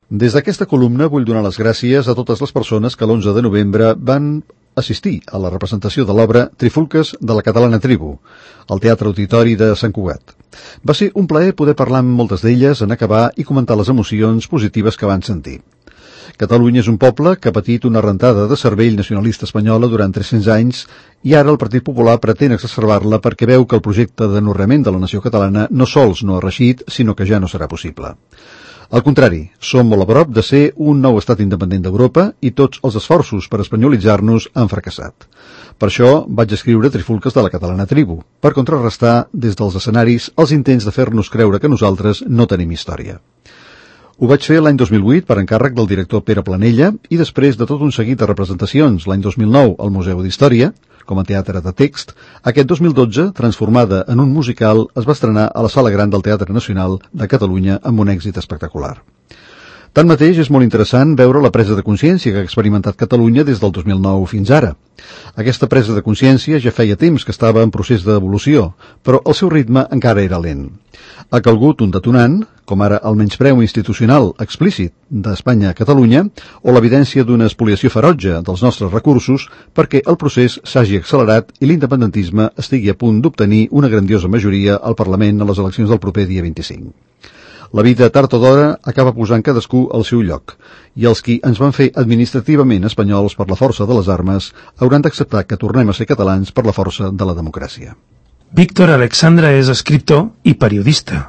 Des d'aquesta columna vull donar les gràcies a totes les persones que l'11 de novembre van assistir a la representació de l'obra Trifulques de la Catalana Tribu, al Teatre Auditori de Sant Cugat. Va ser un plaer poder parlar amb moltes d'elles en acabar i comentar les emocions positives que van sentir. Catalunya és un poble que ha patit una rentada de cervell nacionalista espanyola durant 300 anys i ara el Partit Popular pretén exacerbar-la perquè veu que el projecte d'anorreament de la nació catalana no sols no ha reeixit, sinó que ja no serà possible. Al contrari, som molt a prop de ser un nou estat independent d'Europa i tots els esforços per espanyolitzar-nos han fracassat. Per això vaig escriure Trifulques de la Catalana Tribu, per contrarrestar des dels escenaris els intents de fer-nos creure que nosaltres no tenim història. Ho vaig fer l'any 2008 per encàrrec del director Pere Planella i després de tot un seguit de representacions l'any 2009 al Museu d'Història, com a teatre de text, aquest 2012, transformada en un musical, es va estrenar a la Sala Gran del Teatre Nacional de Catalunya amb un èxit espectacular. Tanmateix, és molt interessant veure la presa de consciència que ha experimentat Catalunya des del 2009 fins ara. Aquesta presa de consciència ja feia temps que estava en procés d'evolució, però el seu ritme encara era lent. Ha calgut un detonant, com ara el menyspreu institucional explícit d'Espanya a Catalunya o l'evidència d'una espoliació ferotge dels nostres recursos perquè el procés s'hagi accelerat i l'independentisme estigui a punt d'obtenir una grandiosa majoria al Parlament a les eleccions del proper dia 25. La vida, tard o d'hora, acaba posant cadascú al seu lloc, i els qui ens van fer administrativament espanyols per la força de les armes hauran d'acceptar que tornem a ser catalans per la força de la democràcia. Víctor Alexandra és escriptor i periodista.